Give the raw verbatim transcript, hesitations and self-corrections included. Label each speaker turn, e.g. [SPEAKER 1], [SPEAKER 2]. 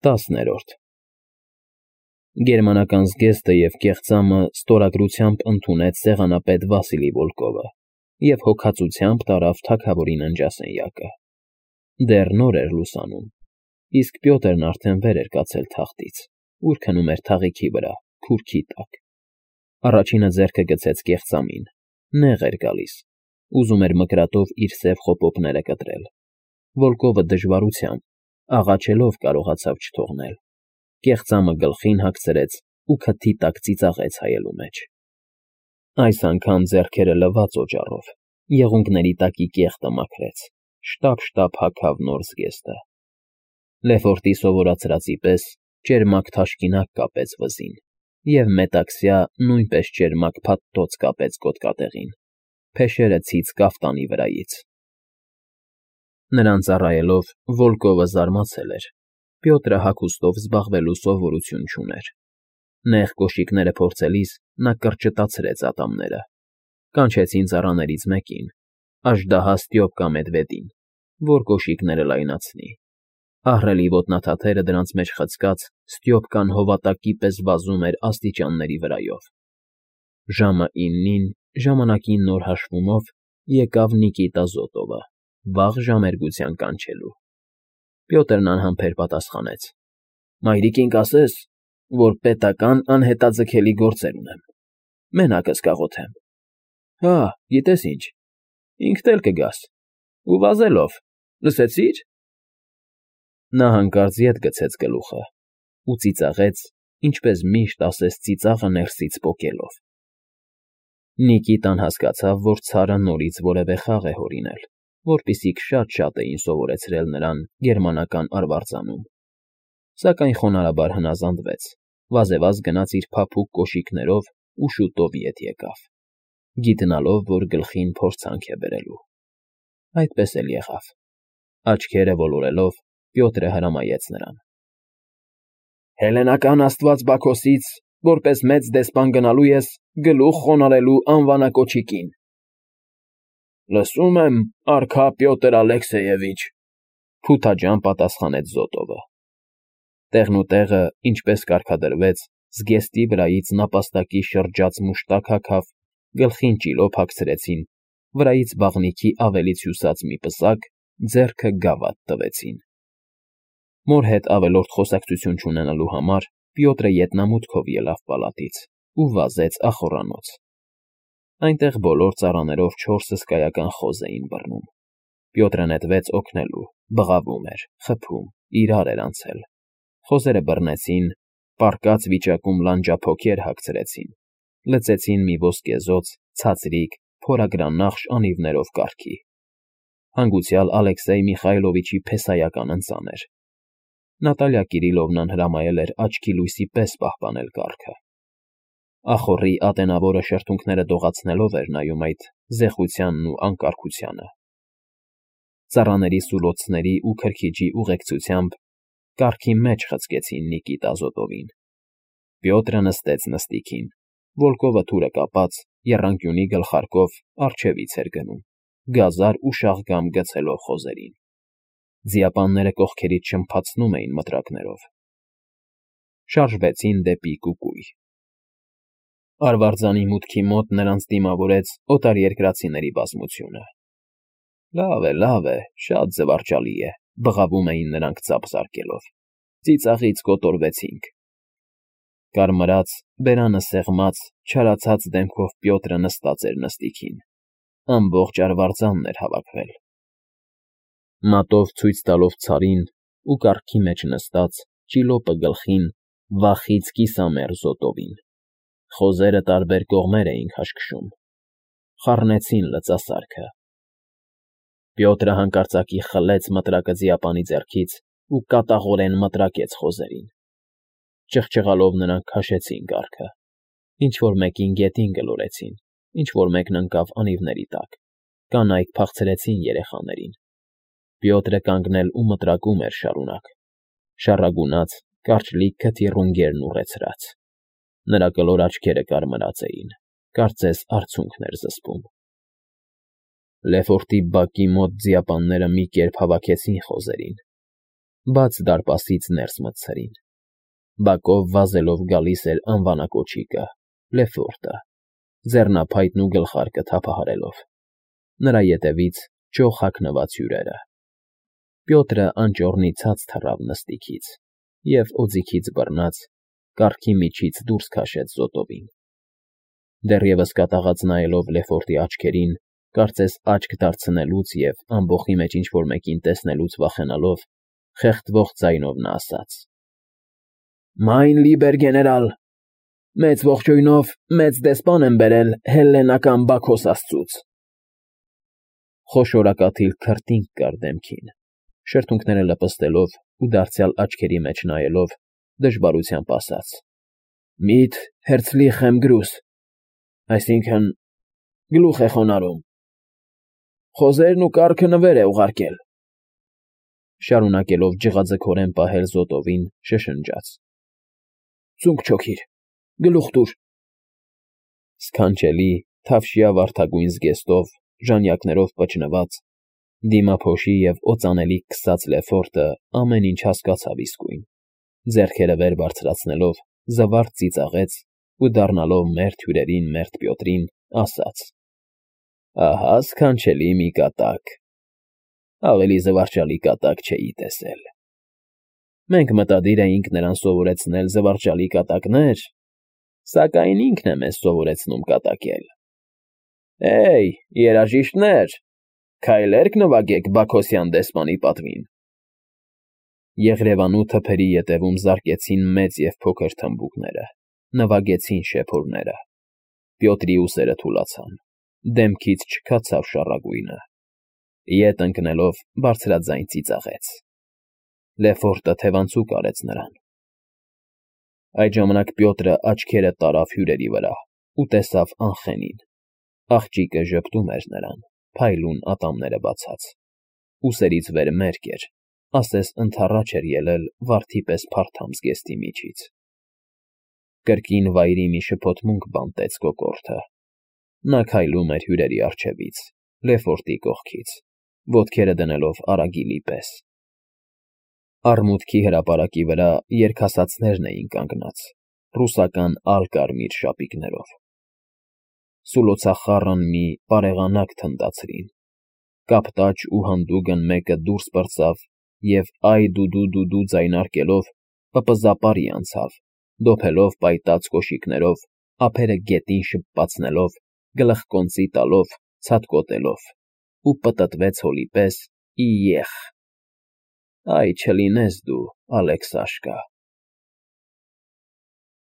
[SPEAKER 1] Տասներորդ Գերմանական զգեստը և կեղծամը ստորագրությամբ ընդունեց սեղանապետ Վասիլի Վոլկովը և հոգածությամբ տարավ թագավորի ննջասենյակը. դեռ նոր էր լուսանում, իսկ Պյոտրն արդեն վեր էր կացել թախտից, ուր քնում էր թաղիքի վրա, քուրքի տակ. առաջինը ձեռքը գցեց կեղծամին, նեղ էր գալիս, ուզում էր մկրատով իր սև խոպոպները կտրել. Վոլկովը դժվարությամբ, աղաչելով կարողացավ չթողնել, կեղծամը գլխին հագցրեց ու քթի տակ ծիծաղեց հայելու մեջ. այս անգամ ձեռքերը լվաց օճառով, եղունգների տակի կեղտը մաքրեց, շտապ֊շտապ հագավ նոր զգեստը. Լեֆորտի սովորացրածի պես ճերմակ թաշկինակ կապեց վզին և մետաքսյա նույնպես ճերմակ փաթթոց կապեց գոտկատեղին, փեշերը ցից կաֆտանի վրայից. Նրան ծառայելով Վոլկովը զարմացել էր. Պյոտրը հագուստով զբաղվելու սովորություն չուներ. նեղ կոշիկները փորձելիս նա կրճտացրեց ատամները, կանչեցին ծառաներից մեկին, աժդահա Ստյոպկա Մեդվեդին, որ կոշիկները լայնացնի. ահռելի ոտնաթաթերը դրանց մեջ խցկած Ստյոպկան հովատակի պես վազում էր աստիճանների վրայով. ժամը իննին, ժամանակին նոր հաշվումով, եկավ Նիկիտա Զոտովը, վաղ ժամերգության կանչելու. Պյոտրն անհամբեր պատասխանեց. Մայրիկին կասես, որ պետական անհետաձգելի գործեր ունեմ, մենակս կաղոթեմ. Հա, գիտես ինչ, ինքդ էլ կգաս, ու վազելով, լսեցի՞ր… Նա հանկարծ ետ գցեց գլուխը ու ծիծաղեց, ինչպես միշտ ասես ծիծաղը ներսից պոկելով. Նիկիտան հասկացավ, որ ցարը նորից որևէ խաղ է հորինել, որպիսիք շատ֊շատ էին սովորեցրել նրան գերմանական արվարձանում, սակայն խոնարհաբար հնազանդվեց, վազեվազ գնաց իր փափուկ կոշիկներով ու շուտով ետ եկավ, գիտնալով, որ գլխին փորձանք է բերելու. այդպես էլ եղավ. աչքերը ոլորելով, Պյոտրը հրամայեց նրան. Հելլենական աստված Բաքոսից, որպես մեծ դեսպան գնալու ես գլուխ խոնարհելու անվանակոչիկին։ Լսում եմ, արքա Պյոտր Ալեքսեևիչ, փութաջան պատասխանեց Զոտովը. տեղնուտեղը, ինչպես կարգադրվեց, զգեստի վրայից նապաստակի շրջած մուշտակ հագավ, գլխին ճիլոփ հագցրեցին, վրայից բաղնիքի ավելից հյուսած մի պսակ, ձեռքը գավաթ տվեցին. Մոր հետ ավելորդ խոսակցություն չունենալու համար Պյոտրը ետնամուտքով ելավ պալատից ու վազեց ախոռանոց. այնտեղ բոլոր ծառաներով չորս հսկայական խոզ էին բռնում. Պյոտրը նետվեց օգնելու, բղավում էր, խփում, իրար էր անցել. խոզերը բռնեցին, պառկած վիճակում լանջափոքեր հագցրեցին, լցեցին մի ոսկեզօծ, ցածրիկ, փորագրանախշ անիվներով կառքի. հանգուցյալ Ալեքսեյ Միխայլովիչի փեսայական ընծան էր. Նատալիա Կիրիլովնան հրամայել էր աչքի լույսի պես պահպանել կառքը. Ախոռի ատենավորը շրթունքները դողացնելով էր նայում այդ զեխությանն ու անկարգությանը. Ծառաների սուլոցների ու քրքիջի ուղեկցությամբ կառքի մեջ խցկեցին Նիկիտա Զոտովին. Պյոտրը նստեց նստիքին, Վոլկովը թուրը կապած, եռանկյունի գլխարկով առջևից էր գնում, գազար ու շաղգամ գցելով խոզերին. Ձիապանները կողքերից շրմփացնում էին մտրակներով. շարժվեցին դեպի Կուկուй. Արվարձանի մուտքի մոտ նրանց դիմավորեց օտարերկրացիների բազմությունը. Լավ է, լավ է, շատ զվարճալի է, բղավում էին նրանք ծափ զարկելով, ծիծաղից կոտորվեցինք. Կարմրած, բերանը սեղմած, չարացած դեմքով Պյոտրը նստած էր նստիքին, ամբողջ արվարձանն էր հավաքվել. Մատով ցույց տալով ցարին ու կառքի մեջ նստած, ճիլոպը գլխին, վախից կիսամեռ Զոտովին. խոզերը տարբեր կողմեր էին քաշքշում, խառնեցին լծասարքը. Պյոտրը հանկարծակի խլեց մտրակը ձիապանի ձեռքից ու կատաղորեն մտրակեց խոզերին. ճղճղալով նրանք քաշեցին կառքը, ինչ-որ մեկին գետին գլորեցին, ինչ-որ մեկն ընկավ անիվների տակ, կանայք փախցրեցին երեխաներին. Պյոտրը կանգնել ու մտրակում էր շարունակ, շառագունած, կարճլիկ քթի ռունգերն ուռեցրած. նրա կլոր աչքերը կարմրած էին, կարծես արցունքն էր զսպում. Լեֆորտի բակի մոտ ձիապանները մի կերպ հավաքեցին խոզերին, բաց դարպասից ներս մտցրին։ Բակով վազելով գալիս էր անվանակոչիկը՝ Լեֆորտը, ձեռնափայտն ու գլխարկը թափահարելով, նրա ետևից ճոխ հագնված հյուրերը։ Պյոտրը անճոռնի ցած թռավ նստիքից և օձիքից բռնած կառքի միջից դուրս քաշեց զոտովին։ Դեռևս կատաղած նայելով Լեֆորտի աչքերին, կարծես աչք դարձնելուց և ամբոխի մեջ ինչ֊որ մեկին տեսնելուց վախենալով, խեղդվող ձայնով նա ասաց. «Մայն լիբեր գեներալ, մեծ ողջույնով մեծ դեսպան եմ բերել հելլենական Բաքոս աստծուց»։ Խոշորակաթիլ քրտինք կար դեմքին, շրթունքները լպստելով ու դարձյալ աչքերի մեջ նայելով, դժվարությամբ ասաց. «Միտ հերցլիխ եմ գրուս, այսինքն՝ գլուխ է խոնարհում, խոզերն ու կառքը նվեր է ուղարկել»։ Շարունակելով ջղաձգորեն պահել զոտովին, շշնջաց. «Ձունկ չօգիր, գլուխ տուր»։ Սքանչելի, թավշյա վարդագույն զգեստով, ժանյակներով պճնված, դիմափոշի և օծանելիք քսած Լեֆորտը ամեն ինչ հասկացավ իսկույն, ձեռքերը վեր բարձրացնելով, զվարթ ծիծաղեց ու դառնալով մերթ հյուրերին մերթ Պյոտրին, ասաց. «Ահա սքանչելի մի կատակ, ավելի զվարճալի կատակ չէի տեսել։ Մենք մտադիր էինք նրան սովորեցնել զվարճալի կատակներ, սակայն ինքն է մեզ սովորեցնում կատակել։ Հե՜յ, երաժիշտներ, քայլերք նվագեք Բաքոսյան դեսպանի պատվին»։ Եղրևանու թփերի ետևում զարկեցին մեծ և փոքր թմբուկները, նվագեցին շեփորները։ Պյոտրի ուսերը թուլացան, դեմքից չքացավ շառագույնը, ետ ընկնելով բարձրաձայն ծիծաղեց։ Լեֆորտը թևանցուկ արեց նրան։ Այդ ժամանակ Պյոտրը աչքերը տարավ հյուրերի վրա ու տեսավ Անխենին։ Աղջիկը ժպտում էր նրան, փայլուն ատամները բացած, ուսերից վեր մերկ էր, ասես ընդառաջ էր ելել վարդի պես փարթամ զգեստի միջից։ Կրկին վայրի մի շփոթմունք բանտեց կոկորդը։ Նա քայլում էր հյուրերի առջևից, Լեֆորտի կողքից, ոտքերը դնելով արագիլի պես։ Արմուտքի հրապարակի վրա երգասացներն էին կանգնած, ռուսական ալ֊կարմիր շապիկներով։ Սուլոցախառն մի պարեղանակ թնդացրին, կապտաճ ու հանդուգն մեկը դուրս պրծավ և այ֊դու֊դու֊դու ձայնարկելով պպզապարի անցավ, դոփելով պայտած կոշիկներով, ափերը գետին շպպացնելով, գլխկոնծի տալով, ցատկոտելով, ու պտտվեց հոլի պես՝ ի ե՜խ։ Այ չլինես դու, Ալեքսաշկա։